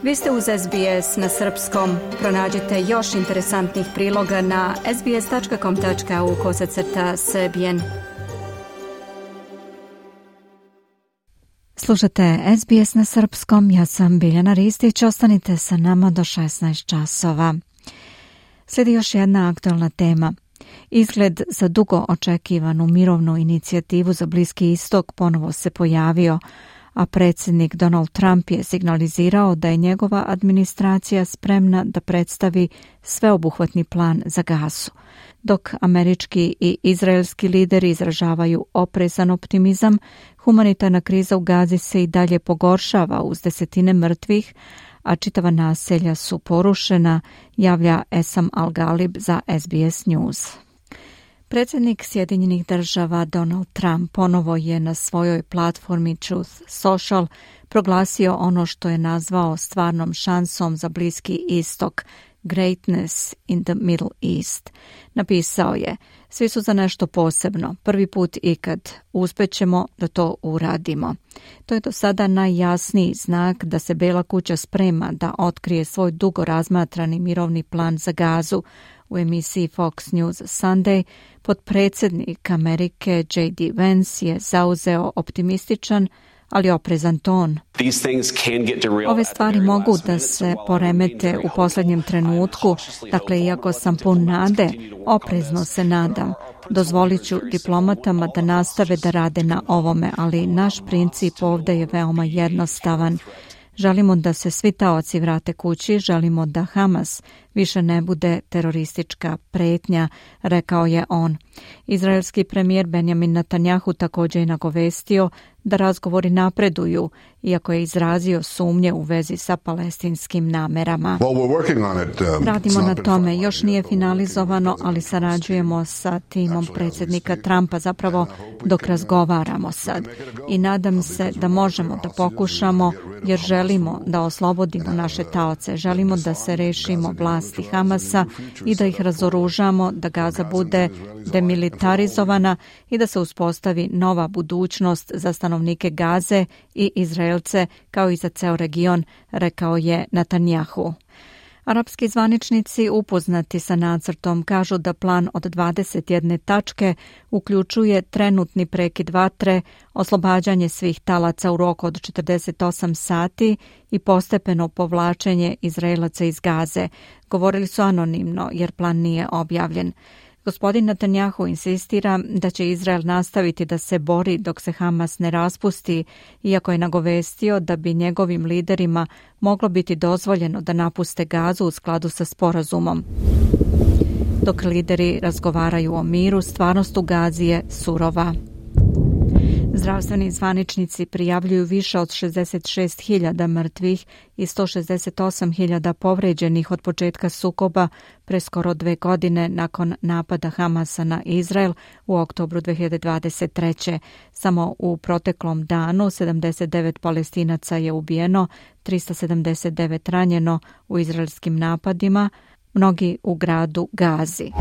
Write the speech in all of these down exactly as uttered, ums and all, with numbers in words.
Vi ste uz S B S na srpskom. Pronađite još interesantnih priloga na sbs.com.au kosacrta srbijen. Slušate S B S na srpskom, ja sam Biljana Ristić, ostanite sa nama do šesnaest časova. Slijedi još jedna aktualna tema. Izgled za dugo očekivanu mirovnu inicijativu za Bliski istok ponovo se pojavio, a predsjednik Donald Trump je signalizirao da je njegova administracija spremna da predstavi sveobuhvatni plan za Gazu. Dok američki i izraelski lideri izražavaju oprezan optimizam, humanitarna kriza u Gazi se i dalje pogoršava uz desetine mrtvih, a čitava naselja su porušena, javlja Esam Al-Galib za S B S News. Predsjednik Sjedinjenih država Donald Trump ponovo je na svojoj platformi Truth Social proglasio ono što je nazvao stvarnom šansom za Bliski istok, Greatness in the Middle East. Napisao je: svi su za nešto posebno, prvi put ikad, uspjećemo da to uradimo. To je do sada najjasniji znak da se Bela kuća sprema da otkrije svoj dugo razmatrani mirovni plan za Gazu. U emisiji Fox News Sunday potpredsjednik Amerike J D Vance je zauzeo optimističan, ali oprezan ton. Ove stvari mogu da se poremete u posljednjem trenutku, dakle, iako sam pun nade, oprezno se nadam. Dozvolit ću diplomatama da nastave da rade na ovome, ali naš princip ovdje je veoma jednostavan. Želimo da se svi taoci vrate kući, želimo da Hamas više ne bude teroristička pretnja, rekao je on. Izraelski premijer Benjamin Netanjahu također je nagovestio da razgovori napreduju, iako je izrazio sumnje u vezi sa palestinskim namerama. Radimo na tome, još nije finalizovano, ali sarađujemo sa timom predsjednika Trumpa zapravo dok razgovaramo sad. I nadam se da možemo da pokušamo, jer želimo da oslobodimo naše taoce, želimo da se rešimo vlasti Hamasa i da ih razoružamo, da Gaza bude demilitarizovana i da se uspostavi nova budućnost za stanovnike Gaze i Izraelce kao i za ceo region, rekao je Netanjahu. Arapski zvaničnici upoznati sa nacrtom kažu da plan od dvadeset jedne tačke uključuje trenutni prekid vatre, oslobađanje svih talaca u roku od četrdeset osam sati i postepeno povlačenje Izraelaca iz Gaze. Govorili su anonimno jer plan nije objavljen. Gospodin Netanjahu insistira da će Izrael nastaviti da se bori dok se Hamas ne raspusti, iako je nagovestio da bi njegovim liderima moglo biti dozvoljeno da napuste Gazu u skladu sa sporazumom. Dok lideri razgovaraju o miru, stvarnost u Gazi je surova. Zdravstveni zvaničnici prijavljuju više od šezdeset šest hiljada mrtvih i sto šezdeset osam hiljada povređenih od početka sukoba pre skoro dve godine nakon napada Hamasa na Izrael u oktobru dve hiljade dvadeset treće. Samo u proteklom danu sedamdeset devet Palestinaca je ubijeno, tristo sedamdeset devet ranjeno u izraelskim napadima, mnogi u gradu Gazi.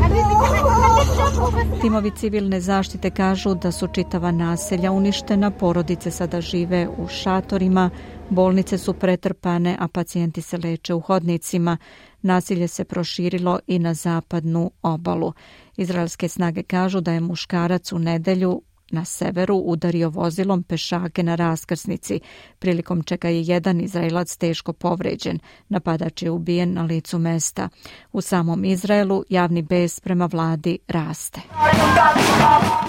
Timovi civilne zaštite kažu da su čitava naselja uništena, porodice sada žive u šatorima, bolnice su pretrpane, a pacijenti se leče u hodnicima. Nasilje se proširilo i na zapadnu obalu. Izraelske snage kažu da je muškarac u nedelju na severu udario vozilom pešake na raskrsnici, prilikom čega je jedan Izraelac teško povređen. Napadač je ubijen na licu mesta. U samom Izraelu javni bes prema vladi raste.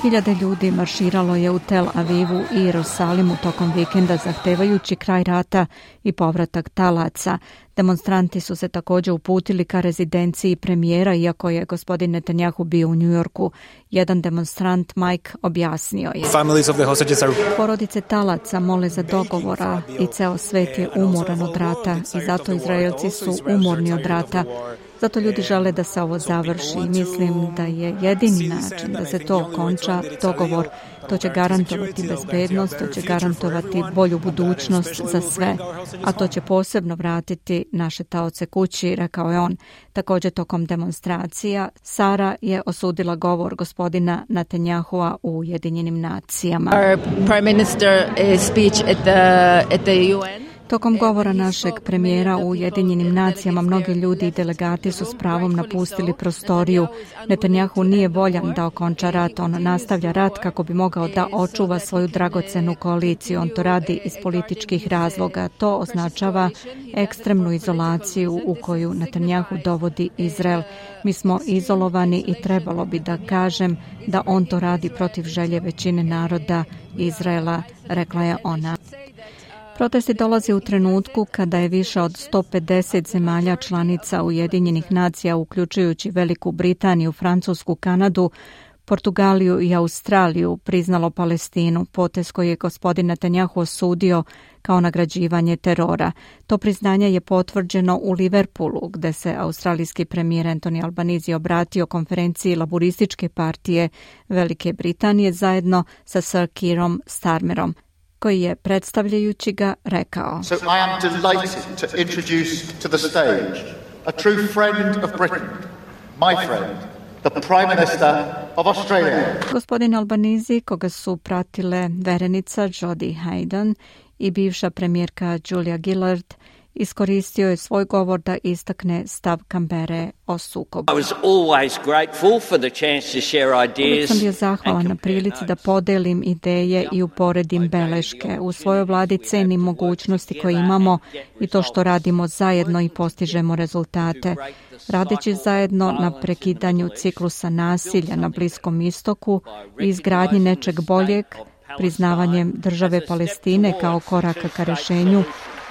Hiljade ljudi marširalo je u Tel Avivu i Jerusalimu tokom vikenda zahtevajući kraj rata i povratak talaca. Demonstranti su se također uputili ka rezidenciji premijera, iako je gospodin Netanjahu bio u New Yorku. Jedan demonstrant, Mike, objasnio je: porodice talaca mole za dogovora i ceo svet je umoran od rata i zato Izraelci su umorni od rata. Zato ljudi žele da se ovo završi i mislim da je jedini način da se to okonča dogovor. To će garantovati bezbednost, to će garantovati bolju budućnost za sve, a to će posebno vratiti naše taoce kući, rekao je on. Također tokom demonstracija Sara je osudila govor gospodina Netanjahua u Ujedinjenim nacijama. Our Prime Minister speech at the, at the U N. Tokom govora našeg premijera u Ujedinjenim nacijama mnogi ljudi i delegati su s pravom napustili prostoriju. Netanjahu nije voljan da okonča rat, on nastavlja rat kako bi mogao da očuva svoju dragocenu koaliciju. On to radi iz političkih razloga. To označava ekstremnu izolaciju u koju Netanjahu dovodi Izrael. Mi smo izolovani i trebalo bi da kažem da on to radi protiv želje većine naroda Izraela, rekla je ona. Protesti dolaze u trenutku kada je više od sto pedeset zemalja članica Ujedinjenih nacija, uključujući Veliku Britaniju, Francusku, Kanadu, Portugaliju i Australiju, priznalo Palestinu, potez koji je gospodin Netanjahu osudio kao nagrađivanje terora. To priznanje je potvrđeno u Liverpoolu, gde se australijski premijer Anthony Albanese obratio konferenciji Laburističke partije Velike Britanije zajedno sa Sir Keirom Starmerom, koji je, predstavljajući ga, rekao: So I am delighted to introduce to the stage a true friend of Britain, my friend, the Prime Minister of Australia. Gospodin Albanese, koga su pratile verenica Jodie Hayden i bivša premijerka Julia Gillard, iskoristio je svoj govor da istakne stav Kambere o sukobu. I was always grateful for the chance to share ideas. Uvijek sam bio zahvalan na prilici da podelim ideje i uporedim beleške. U svojoj vladi cenim mogućnosti koje imamo i to što radimo zajedno i postižemo rezultate. Radeći zajedno na prekidanju ciklusa nasilja na Bliskom istoku i izgradnji nečeg boljeg, priznavanjem države Palestine kao koraka ka rešenju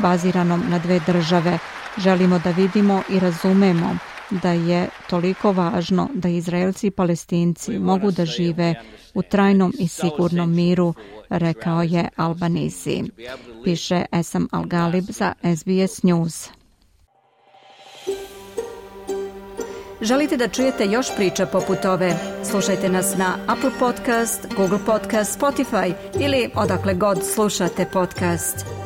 baziranom na dve države. Želimo da vidimo i razumemo da je toliko važno da Izraelci i Palestinci mogu da žive u trajnom i sigurnom miru, rekao je Albanese. Piše Esam Al-Galib za S B S News. Želite da čujete još priča poput ove? Slušajte nas na Apple Podcast, Google Podcast, Spotify ili odakle god slušate podcast.